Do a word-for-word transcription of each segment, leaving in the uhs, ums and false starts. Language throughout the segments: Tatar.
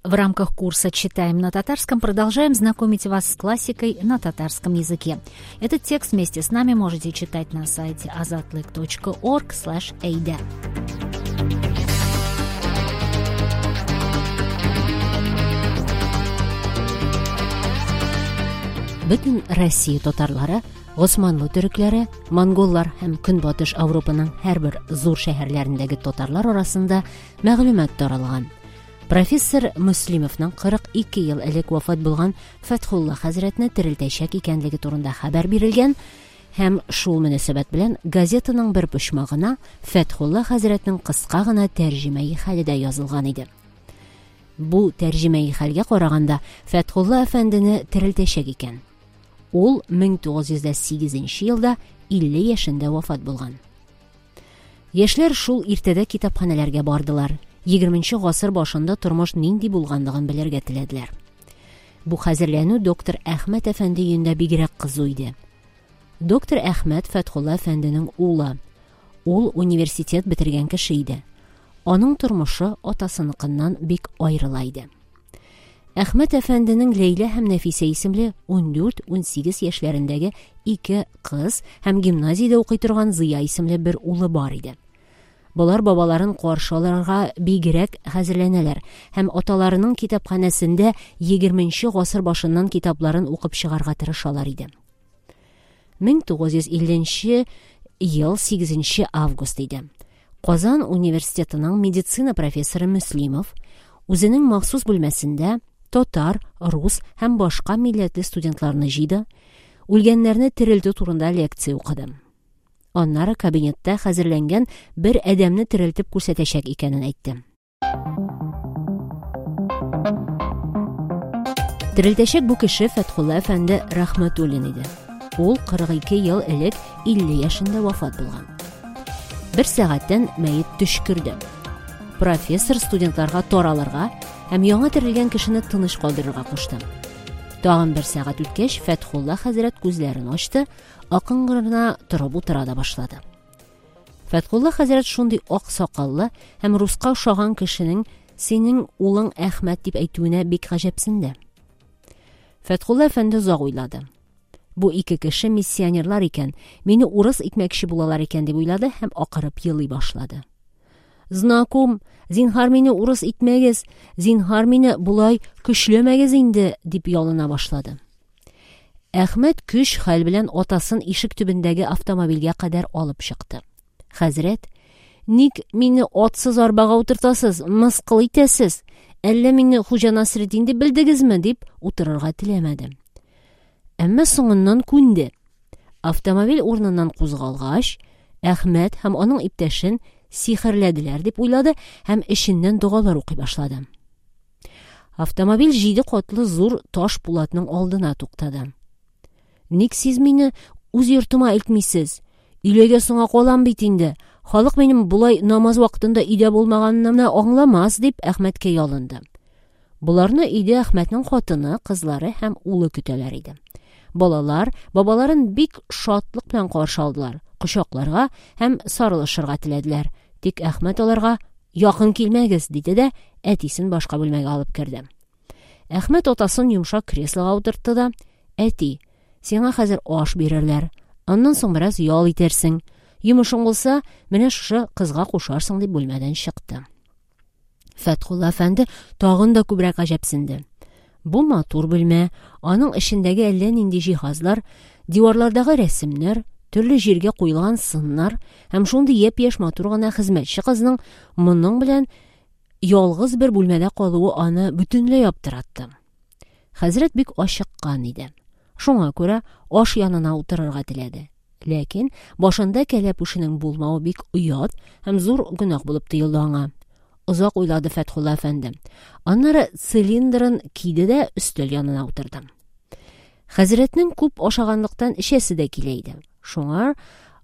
В рамках курса «Читаем на татарском» продолжаем знакомить вас с классикой на татарском языке. Этот текст вместе с нами можете читать на сайте азатлык точка орг слэш эйдэ. Бөтен Россия татарлары, Госманлы төрекләре, монголлар һәм Көнбатыш Европаның һәрбер зур шәһәрләрендәге татарлар арасында мәгълүмат таралган. Профессор Мөслимовның кырык ике ел элек вафат булган Фәтхулла хәзрәтне терелтәчәк икәнлеге турында хәбәр бирелгән һәм шул мөнәсәбәт белән газетаның бер почмагына Фәтхулла хәзрәтнең кыска гына тәрҗемәи хәле дә язылган иде. Бу тәрҗемәи хәлгә караганда Фәтхулла әфәндене терелтәчәк икән. Ул мең тугыз йөз дә сигезенче елда илле яшендә вафат булган. Яшьләр шул иртәдә китапханәләргә бардылар. Егерменче гасыр башында тормыш нинди булганлыгын белергә теләделәр. Бу хәзерләнү доктор Әхмәт әфәнде өендә бигрәк кызу иде. Доктор Әхмәт Фәтхулла әфәнденең улы. Ул университет бетергән кеше иде. Аның тормышы атасыныкыннан бик аерыла иде. Әхмәт әфәнденең Ләйлә һәм Нәфисә исемле ундүрт, унсигез яшьләрендәге ике кыз һәм гимназиядә укый торган Зыя исемле бер улы бар иде. Болар бабаларын каршы алырга бигрәк хәзерләнәләр һәм аталарының китапханәсендә егерменче гасыр башыннан китапларын укып чыгарга тырышалар иде. Мең тугыз йөз илленче ел сигезенче август иде. Казан университетының медицина профессоры Мөслимов үзенең махсус бүлмәсендә татар, рус һәм башка милләтле студентларны җыйды, үлгәннәрне терелтү турында лекция укыды. Аннары кабинетта хәзерләнгән бер адәмне терелтеп күрсәтәчәк икәнен әйтте. Терелтәчәк бу кеше Фәтхулла әфәнде Рәхмәтуллин иде. Ул кырык ике ел элек илле яшендә вафат булган. Бер сәгатьтән мәет төшкерде. Профессор студентларга таралырга һәм яңа терелгән кешене тыныч калдырырга кушты. Тагын бер сәгать үткәч, Фәтхулла хәзрәт күзләрен ачты, акрын гына торып утыра да башлады. Фәтхулла хәзрәт шундый ак сакаллы һәм руска охшаган кешенең синең улың Әхмәт дип әйтүенә бик гаҗәпсенде. Фәтхулла әфәнде озак уйлады. Бу ике кеше миссионерлар икән, мине урыс итмәкче булалар икән дип уйлады һәм акырып елый башлады. Знаком, зинһар мине урыс итмәгез, зинһар мине болай көчләмәгез инде, дип ялына башлады. Әхмәт көч хәл белән атасын ишек төбендәге автомобильгә кадәр алып чыкты. Хәзрәт, ник мине атсыз арбага утыртасыз, мыскыл итәсез? Әллә мине Хуҗа Насретдин дип белдегезме, дип утырырга теләмәде. Әмма соңыннан күнде. Автомобиль урыныннан кузгалгач, Әхмәт һәм аның иптәшен сихерләделәр дип уйлады һәм эченнән догалар укый башлады. Автомобиль җиде катлы зур таш пулатның алдына туктады. Ник сез мине үз йортыма илтмисез? Өйләгә соңа калам бит инде. Халык минем болай намаз вакытында өйдә булмаганымны аңламас, дип Әхмәткә ялынды. Боларны өйдә Әхмәтнең хатыны, кызлары һәм улы көтәләр иде. Балалар бабаларын бик шатлык белән каршы алдылар, кочакларга һәм сарылышырга теләделәр. Тик Әхмәт аларга якын килмәгез, диде дә әтисен башка бүлмәгә алып керде. Әхмәт атасын йомшак креслога утыртты да, Әти, сиңа хәзер аш бирерләр, аннан соң бераз ял итерсең. Йомышың булса, менә шушы кызга кушарсың, дип бүлмәдән чыкты. Фәтхулла әфәнде тагын да күбрәк гаҗәпсенде. Бу матур бүлмә, аның эчендәге әллә нинди җиһазлар, диварлардагы рәсемнәр, төрле җиргә куелган сыннар һәм шундый япь-яшь матур гына хезмәтче кызның моның белән ялгыз бер бүлмәдә калуы аны бөтенләй аптыратты. Хәзрәт бик ачыккан иде. Шуңа күрә аш янына утырырга теләде. Ләкин башында кәләпүшенең булмавы бик оят һәм зур гөнаһ булып тоелды аңа. Озак уйлады Фәтхулла әфәнде. Аннары цилиндрын киде дә өстәл янына утырды. Хәзрәтнең күп ашаганлыктан эчәсе дә килә иде. Шуңа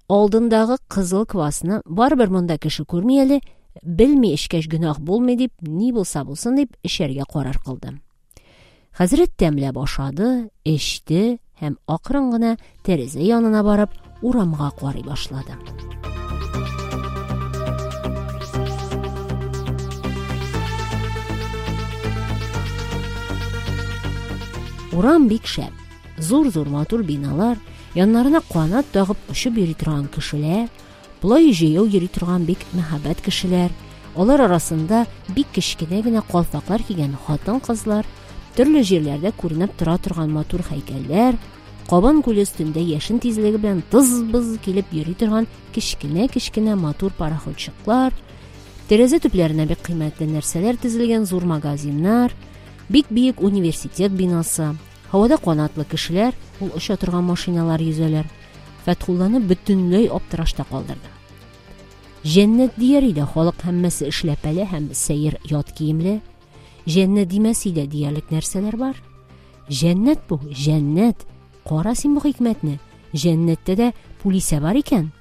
алдындагы кызыл квасны барыбер монда кеше күрми әле, белми эчкәч гөнаһ булмый дип, ни булса булсын дип эчәргә карар кылды. Хәзрәт тәмләп ашады, эчте һәм акрын гына тәрәзә янына барып урамга карый башлады. Урам бик шәп. Зур-зур матур биналар, яннарына канат тагып очып йөри торган кешеләр, болай җәяү йөри торган бик мәһабәт кешеләр, алар арасында бик кечкенә генә калфаклар кигән хатын-кызлар, төрле җирләрдә күренеп тора торган матур һәйкәлләр, Кабан күле өстендә яшен тизлеге белән тыз-быз килеп йөри торган кечкенә-кечкенә матур пароходчыклар, тәрәзә төпләренә бик кыйммәтле нәрсәләр тезелгән зур магазиннар, бик биек университет бинасы, һавада канатлы кешеләр, ул оча торган машиналар йөзәләр. Фәтхулланы бөтенләй аптырашта калдырды. Җәннәт дияр иде, халык һәммәсе эшләпәле һәм сәер ят киемле. Җәннәт димәс иде диярлек нәрсәләр бар. Җәннәт бу, җәннәт. Кара син бу хикмәтне. Җәннәттә дә пулисә бар икән.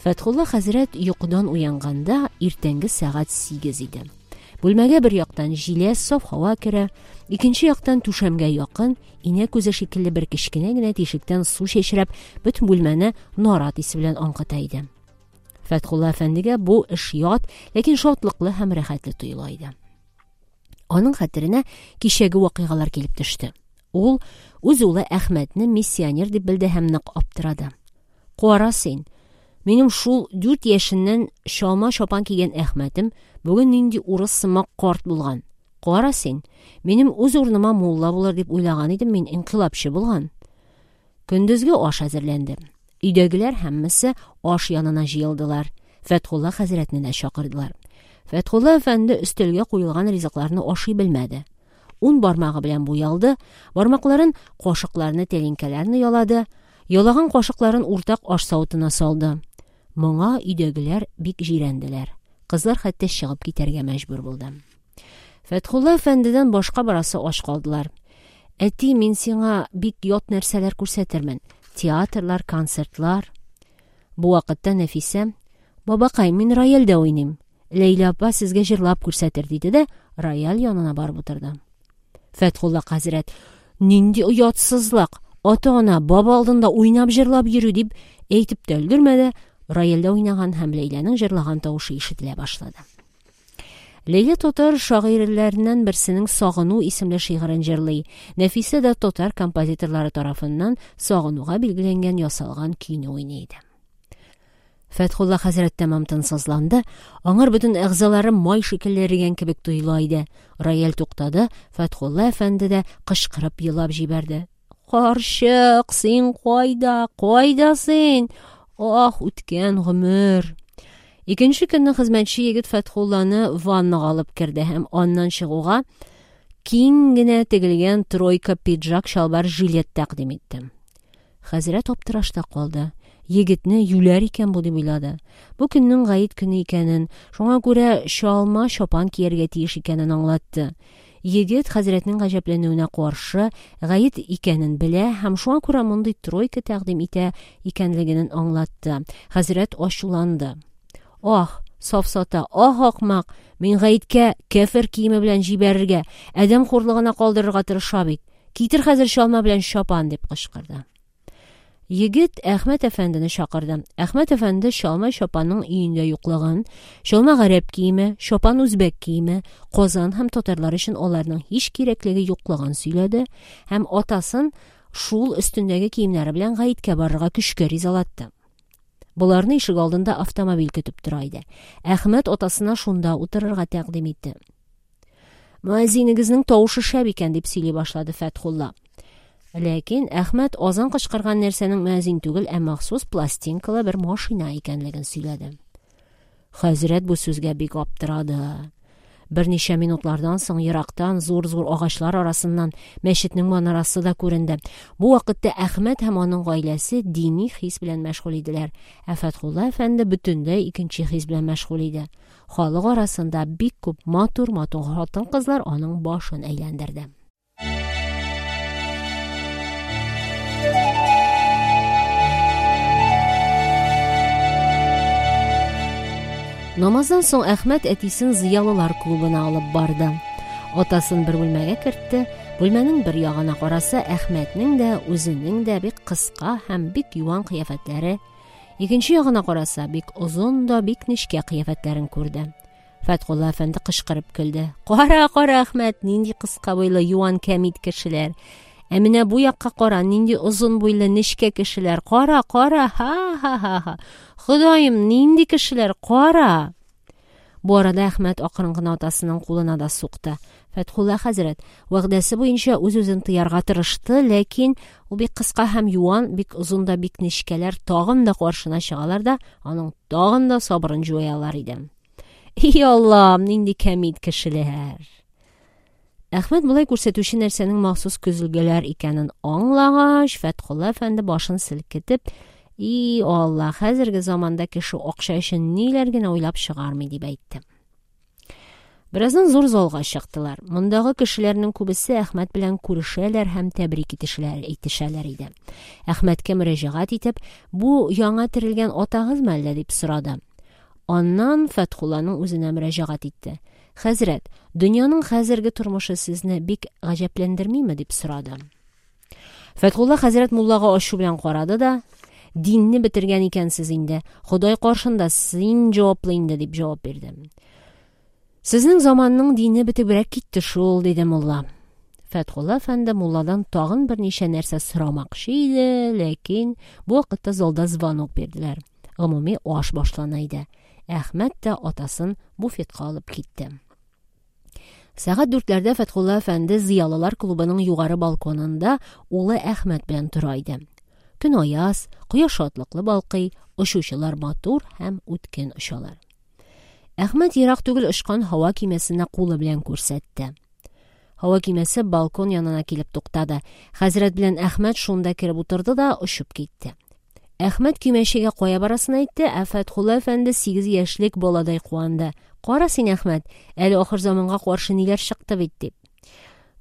Фәтхулла хәзрәт йокыдан уянганда иртәнге сәгать сигез иде. Бүлмәгә бер яктан җиләс саф һава керә, икенче яктан түшәмгә якын инә күзе шикелле бер кечкенә генә тишектән су чәчрәп, бөтен бүлмәне нарат исе белән аңкыта иде. Фәтхулла әфәндегә бу эш ят, ләкин шатлыклы һәм рәхәтле тоела иде. Аның хәтеренә кичәге вакыйгалар килеп төште. Ул үз улы Әхмәтне миссионер дип белде һәм нык аптырады. Кара син, минем шул дүрт яшеннән чалма чапан кигән Әхмәтем бүген нинди урыс сымак карт булган. Кара син, минем үз урыныма мулла булыр дип уйлаган идем, мин инкыйлабчы булган. Көндезге аш әзерләнде. Өйдәгеләр һәммәсе аш янына җыелдылар. Фәтхулла хәзрәтне дә чакырдылар. Фәтхулла әфәнде өстәлгә куелган ризыкларны ашый белмәде. Ун бармагы белән буялды, бармакларын кашыкларны, тәлинкәләрне ялады, ялаган кашыкларын уртак аш савытына салды. Моңа өйдәгеләр бик җирәнделәр. Кызлар хәтта чыгып китәргә мәҗбүр булды. Фәтхулла әфәндедән башка барасы аш калдылар. Әти, мин сиңа бик ят нәрсәләр күрсәтермен. Театрлар, концертлар. Бу вакытта Нәфисә: "Бабакай, мин рояльдә уйныйм. Ләйлә апа сезгә җырлап күрсәтер", диде дә рояль янына барып утырды. Фәтхулла хәзрәт: "Нинди оятсызлык! Ата-ана баба алдында уйнап җырлап йөрү", дип әйтеп тә өлгермәде, рояльдә уйнаган һәм Ләйләнең җырлаган тавышы ишетелә башлады. Ләйлә татар шагыйрьләреннән берсенең Сагыну исемле шигырен җырлый. Нәфисә дә татар композиторлары тарафыннан сагынуга билгеләнгән ясалган көйне уйный иде. Фәтхулла хәзрәт тәмам тынсызланды, аңар бөтен әгъзалары май шикелле эрегән кебек тоела иде. Рояль туктады, Фәтхулла әфәнде дә кычкырып елап җибәрде. Карчык, син кайда? Кайда син? Ах, үткән гомер! Икенче көнне хезмәтче егет Фәтхулланы ваннага алып керде һәм аннан чыгуга киң генә тегелгән тройка пиджак, чалбар, жилет тәкъдим итте. Хәзрәт аптырашта калды. Егетне юләр икән бу дип уйлады. Бу көннең гает көне икәнен, шуңа күрә чалма чапан кияргә тиеш икәнен аңлатты. Егет хәзрәтнең гаҗәпләнүенә каршы гает икәнен белә һәм шуңа күрә мондый тройка тәкъдим итә икәнлеген аңлатты. Хәзрәт ачуланды. Ах, сафсата, ах, ахмак, мин гаеткә кәфер киеме белән җибәрергә, адәм хурлыгына калдырырга тырыша бит. Китер хәзер чалма белән чапан, дип кычкырды. Егет Әхмәт әфәндене чакырды. Әхмәт әфәнде чалма чапанның өендә юклыгын, чалма гарәп киеме, чапан үзбәк киеме, Казан һәм татарлар өчен аларның һич кирәклеге юклыгын сөйләде һәм атасын шул өстендәге киемнәре белән гаеткә барырга көчкә ризалатты. Боларны ишек алдында автомобиль көтеп тора иде. Әхмәт атасына шунда утырырга тәкъдим итте. Мөәзинегезнең тавышы шәп икән, дип сөйли башлады Фәтхулла. Ләкин Әхмәт азан кычкырган нәрсәнең мөәзин түгел, ә махсус пластинкалы бер машина икәнлеген сөйләде. Хәзрәт бу сүзгә бик аптырады. Берничә минутлардан соң ерактан зур-зур агачлар арасыннан мәчетнең манарасы да күренде. Бу вакытта Әхмәт һәм аның гаиләсе дини хис белән мәшгуль иделәр. Ә Фәтхулла әфәнде бөтенләй икенче хис белән мәшгуль иде. Халык арасында бик күп матур-матур хатын-кызлар аның башын әйләндерде. Намаздан соң Әхмәт әтисен зыялылар клубына алып барды. Атасын бер бүлмәгә кертте. Бүлмәнең бер ягына караса, Әхмәтнең дә, үзенең дә бик кыска һәм бик юан кыяфәтләре, икенче ягына караса, бик озын да, бик нечкә кыяфәтләрен күрде. Фәтхулла әфәнде кычкырып көлде. Кара, кара, Әхмәт, нинди кыска буйлы юан кәмит кешеләр. Ә менә бу якка кара, нинди озын буйлы нечкә кешеләр. Кара, кара, ха-ха-ха-ха. Ходаем, нинди кешеләр, кара! Бу арада Әхмәт акрын гына атасының кулына да сукты. Фәтхулла хәзрәт вәгъдәсе буенча үз-үзен тыярга тырышты, ләкин ул бик кыска һәм юан, бик озын да бик нечкәләр тагын да каршына чыгалар да, аның тагын да сабырын җуялар иде. И Аллам, нинди кәмит кешеләр! Әхмәт болай күрсәтүче нәрсәнең махсус көзгеләр икәнен аңлагач, Фәтхулла әфәнде башын селкетеп, "И Алла, хәзерге заманда кеше акча өчен ниләр генә уйлап чыгармый", дип әйтте. Бераздан зур залга чыктылар. Мондагы кешеләрнең күбесе Әхмәт белән күрешәләр һәм тәбрик итешәләр, итешәләр иде. Әхмәткә мөрәҗәгать итеп, "Бу яңа терелгән атагызмы әллә?" дип сорады. Аннан Фәтхулланың үзенә мөрәҗәгать итте. "Хәзрәт, дөньяның хәзерге тормышы сезне бик гаҗәпләндермиме?" дип сорады. Фәтхулла хәзрәт муллага ачу белән карады да, "Динне бетергән икәнсез инде. Ходай каршында син җаваплы инде", дип җавап бирде. Сезнең заманның дине бетебрәк китте шул, диде мулла. Фәтхулла әфәнде мулладан тагын берничә нәрсә сорамакчы иде, ләкин бу вакытта залда звонок бирделәр. Гомуми аш башлана иде. Әхмәт тә атасын буфетка алып китте. Сәгать дүртләрдә Фәтхулла әфәнде Зыялылар клубының югары балконында улы Әхмәт белән тора иде. Көн аяз, кояш шатлыклы балкый, очучылар матур һәм үткен очалар. Әхмәт ерак түгел очкан һава көймәсенә кулы белән күрсәтте. Һава көймәсе балкон янына килеп туктады. Хәзрәт белән Әхмәт шунда кереп утырды да очып китте. Әхмәт көймәчегә кая барасын әйтте, ә Фәтхулла әфәнде сигез яшьлек баладай куанды. Кара син, Әхмәт, әле ахыр заманга каршы ниләр чыкты бит, дип.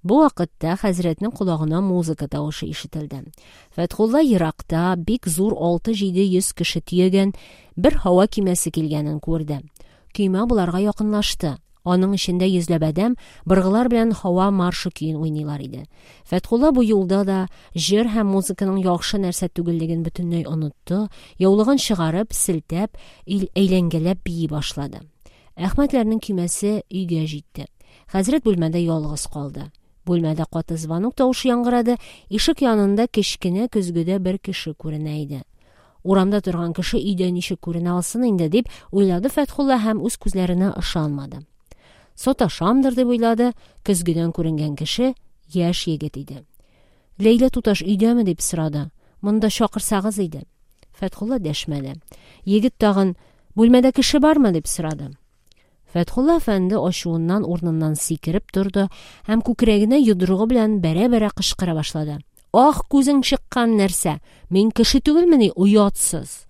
Бу вакытта хәзрәтнең колагына музыка тавышы ишетелде. Фәтхулла еракта бик зур алты-җиде йөз кеше төягән бер һава көймәсе килгәнен күрде. Көймә буларга якынлашты. Аның эчендә йөзләп адәм быргылар белән һава маршы көен уйныйлар иде. Фәтхулла бу юлда да җыр һәм музыканың яхшы нәрсә түгеллеген бөтенләй онытты, яулыгын чыгарып, селтәп, әйләнгәләп бии башлады. Әхмәтләрнең көймәсе өйгә җитте. Хәзрәт бүлмәдә ялгыз калды. Бүлмәдә каты звонок тавышы яңгырады, ишек янында кечкенә көзгедә бер кеше күренә иде. Урамда торган кеше өйдә ничек күренә алсын инде, дип уйлады Фәтхулла һәм үз күзләренә ышанмады. Саташамдыр дип уйлады, көзгедән күренгән кеше яшь егет иде. Ләйлә туташ өйдәме дип сорады. Монда чакырсагыз иде. Фәтхулла дәшмәде. Егет тагын бүлмәдә кеше бармы дип сорады. Фәтхулла әфәнде ачуыннан урыныннан сикереп торды һәм күкрәгенә йодрыгы белән бәрә-бәрә кычкыра башлады. Ах, күзең чыккан нәрсә! Мин кеше түгелмени, оятсыз!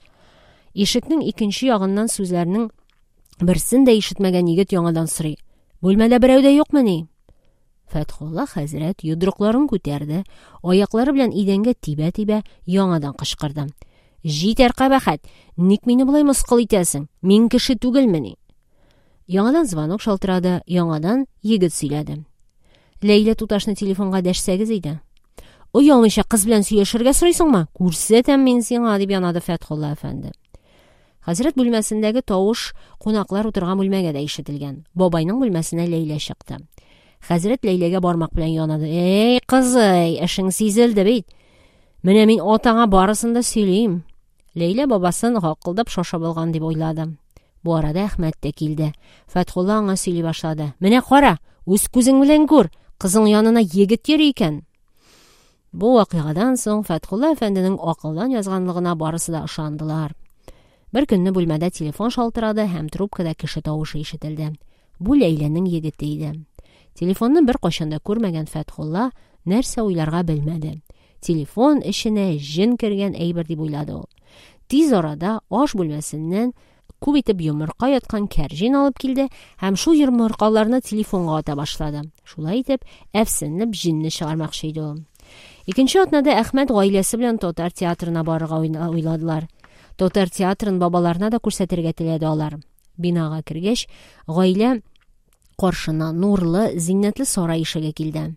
Ишекнең икенче ягыннан сүзләрнең берсен дә ишетмәгән егет яңадан сорый. Бүлмәдә берәү дә юкмыни? Фәтхулла хәзрәт йодрыкларын күтәрде, аяклары белән идәнгә тибә-тибә яңадан кычкырды. Җитәр кабахәт, ник мине болай мыскыл итәсең? Мин кеше түгелмени? Яңадан звонок шалтырады, яңадан егет сөйләде. Ләйлә туташны телефонга дәшсәгез иде. Оялмыйча кыз белән сөйләшергә сорыйсыңмы? Күрсәтәм мин сиңа, дип янады Фәтхулла әфәнде. Хәзрәт бүлмәсендәге тавыш кунаклар утырган бүлмәгә дә ишетелгән. Бабайның бүлмәсенә Ләйлә чыкты. Хәзрәт Ләйләгә бармак белән янады. Эй, кызый, эшең сизелде бит. Менә мин атаңа барысын да сөйлим. Ләйлә бабасын гакылдап шашып алган дип уйлады. Бу арада Әхмәт тә килде. Фәтхулла аңа сөйли башлады. Менә кара, үз күзең белән күр, кызың янына егет йөри икән. Бу вакыйгадан соң Фәтхулла әфәнденең акылдан язганлыгына барысы да ышандылар. Бер көнне бүлмәдә телефон шалтырады һәм трубкада кеше тавышы ишетелде. Бу Ләйләнең егете иде. Телефонны бер кайчан да күрмәгән Фәтхулла нәрсә уйларга белмәде. Телефон эченә җен кергән әйбер дип уйлады ул. Тиз арада аш бүлмәсеннән күп итеп йомырка яткан кәрҗин алып килде һәм шул йомыркаларны телефонга ата башлады. Шулай итеп, әфсенләп җинне чыгармакчы иде ул. Икенче атнада Әхмәт гаиләсе белән татар театрына барырга уйладылар. Татар театрын бабаларына да күрсәтергә теләде алар. Бинага кергәч, гаилә каршына нурлы, зиннәтле сарай ишеге килде.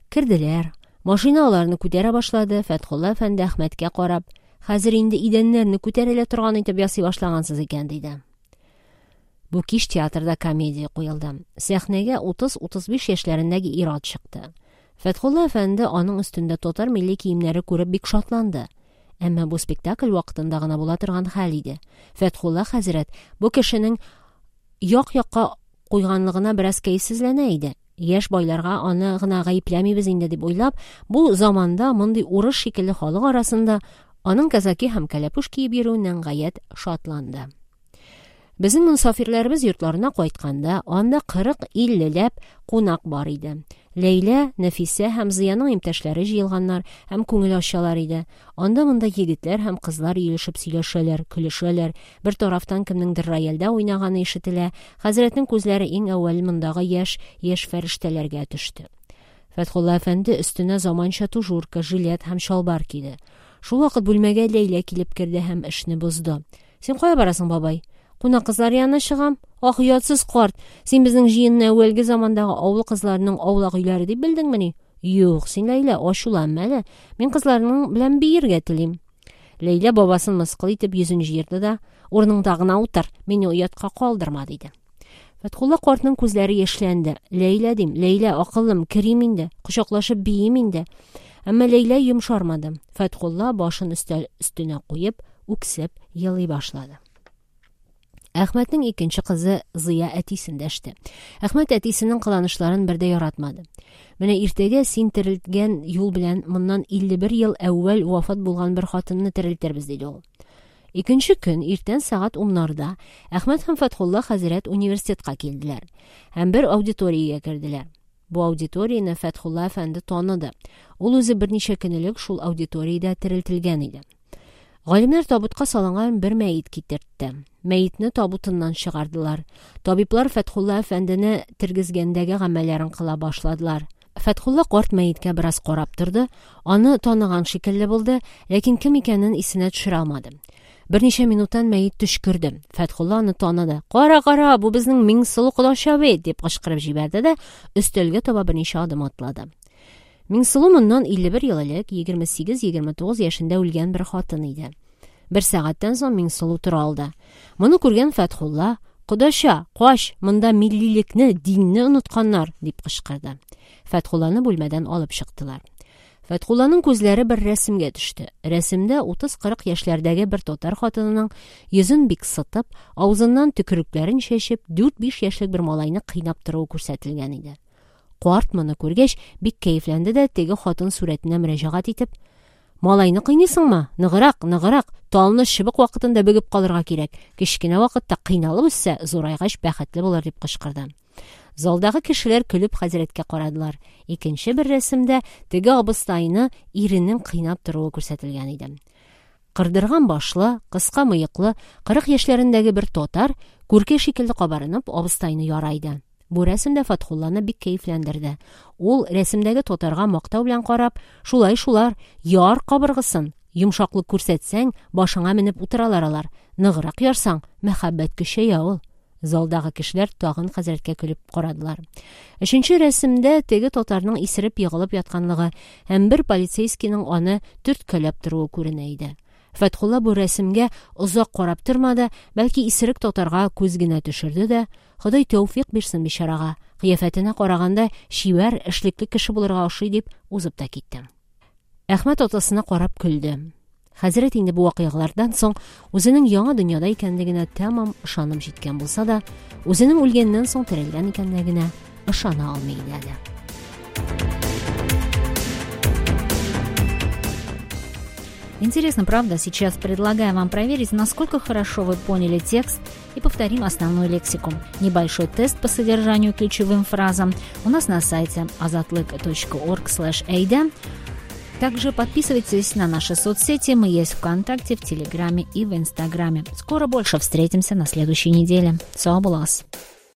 Керделәр. Машина аларны күтәрә башлады. Фәтхулла әфәнде Әхмәткә карап, хәзер инде идәннәрне күтәрелә торган итеп ясый башлагансыз икән, диде. Бу кич театрда комедия куелды. Сәхнәгә утыз-утыз биш яшьләрендәге ир-ат чыкты. Фәтхулла әфәнде аның өстендә татар милли киемнәре күреп бик шатланды. Әмма бу спектакль вакытында гына була торган хәл иде. Фәтхулла хәзрәт бу кешенең як-якка куйганлыгына бераз кәефсезләнә иде. Яшь байларга аны гына гаепләмибез инде дип уйлап, бу заманда мондый урыс шикелле халык арасында аның казаки һәм кәләпүш киеп йөрүеннән гаять шатланды. Безнең мосафирләребез йортларына кайтканда, анда кырык-иллеләп кунак бар иде. Ләйлә, Нәфисә һәм Зыяның иптәшләре җыелганнар һәм күңел ачалар иде. Анда монда егетләр һәм кызлар өелешеп сөйләшәләр, көлешәләр. Бер тарафтан кемнеңдер рояльдә уйнаганы ишетелә. Хәзрәтнең күзләре иң әүвәл мондагы яшь, яшь фәрештәләргә төште. Фәтхулла әфәнде өстенә заманча тужурка, жилет һәм чалбар киде. Шул вакыт бүлмәгә Ләйлә килеп керде һәм эшне бозды. Син кая барасың, бабай? Кунак кызлар янына чыгам. Ах, оятсыз карт, син безнең җыенны әүвәлге замандагы авыл кызларының аулак өйләре дип белдеңмени? Юк, син, Ләйлә, ачуланма әле. Мин кызларның белән биергә телим. Ләйлә бабасын мыскыл итеп йөзен җыерды да, урыныңда гына утыр, мине оятка калдырма, диде. Фәтхулла картның күзләре яшьләнде. Ләйлә дим, Ләйлә, акыллым, керим инде, кочаклашып биим инде. Әмма Ләйлә йомшармады. Фәтхулла башын өстәл өстенә куеп, үксеп елый башлады. Әхмәтнең икенче кызы Зыя әтисен дәште. Әхмәт әтисенең кыланышларын бер дә яратмады. Менә иртәгә син терелткән юл белән моннан илле бер ел әүвәл вафат булган бер хатынны терелтербез, диде ул. Икенче көн иртән сәгать уннарда Әхмәт һәм Фәтхулла хәзрәт университетка килделәр һәм бер аудиториягә керделәр. Бу аудиторияне Фәтхулла әфәнде таныды. Ул үзе берничә көн элек шул аудиториядә терелтелгән иде. Галимнәр табутка салынган бер мәет китертте. Мәетне табутыннан чыгардылар. Табиблар Фәтхулла әфәндене тергезгәндәге гамәлләрен кыла башладылар. Фәтхулла карт мәеткә бераз карап торды, аны таныган шикелле булды, ләкин кем икәнен исенә төшерә алмады. Берничә минуттан мәет төшкерде. Фәтхулла аны таныды. Кара, кара, бу безнең Миңсылу кодача бит, дип кычкырып җибәрде дә өстәлгә таба берничә адым атлады. Миңсылу моннан илле бер ел элек егерме сигез-егерме тугыз яшендә үлгән бер хатын иде. Бер сәгатьтән соң Миңсылу тора алды. Моны күргән Фәтхулла: Кодача, кач, монда миллилекне, динне онытканнар, дип кычкырды. Фәтхулланы бүлмәдән алып чыктылар. Фәтхулланың күзләре бер рәсемгә төште. Рәсемдә утыз-кырык яшьләрдәге бер татар хатынының йөзен бик сытып, авызыннан төкерекләрен чәчеп, дүрт-биш яшьлек бер малайны кыйнап торуы күрсәтелгән иде. Карт моны күргәч, бик кәефләнде дә теге хатын сурәтенә мөрәҗәгать итеп: Малайны кыйныйсыңмы? Ныграк, ныграк, талны чыбык вакытында бөгеп калырга кирәк. Кечкенә вакытта кыйналып үссә, зурайгач бәхетле булыр, дип кычкырды. Залдагы кешеләр көлеп хәзрәткә карадылар. Икенче бер рәсемдә теге абыстайны иренең кыйнап торуы күрсәтелгән иде. Кырдырган башлы, кыска мыеклы, кырык яшьләрендәге бер татар күркә шикелле кабарынып абыстайны ярайды. Бу рәсемдә Фәтхулланы бик кәефләндерде. Ул рәсемдәге татарга мактау белән карап: Шулай шулар, яр кабыргысын, йомшаклык күрсәтсәң, башыңа менеп утыралар алар. Ныграк ярсаң, мәхәббәт көчәя ул. Залдагы кешеләр тагын хәзрәткә көлеп карадылар. Өченче рәсемдә теге татарның исереп егылып ятканлыгы һәм бер полицейскийның аны төрткәләп торуы күренә иде. Фәтхулла бу рәсемгә озак карап тормады, бәлки исерек татарга күз генә төшерде дә: Ходай тәүфик бирсен бичарага, кыяфәтенә караганда чибәр, эшлекле кеше булырга ошый, дип узып та китте. Әхмәт атасына карап көлде. Хәзрәт инде бу вакыйгалардан соң үзенең яңа дөньяда икәнлегенә тәмам ышанып җиткән булса да, үзенең үлгәннән соң терелгән икәнлегенә ышана алмый иде әле. Интересно, правда? Сейчас предлагаю вам проверить, насколько хорошо вы поняли текст, и повторим основную лексику. Небольшой тест по содержанию и ключевым фразам у нас на сайте азатлык точка орг слэш эйда. Также подписывайтесь на наши соцсети. Мы есть ВКонтакте, в Телеграме и в Инстаграме. Скоро больше. Встретимся на следующей неделе. Сау булыгыз.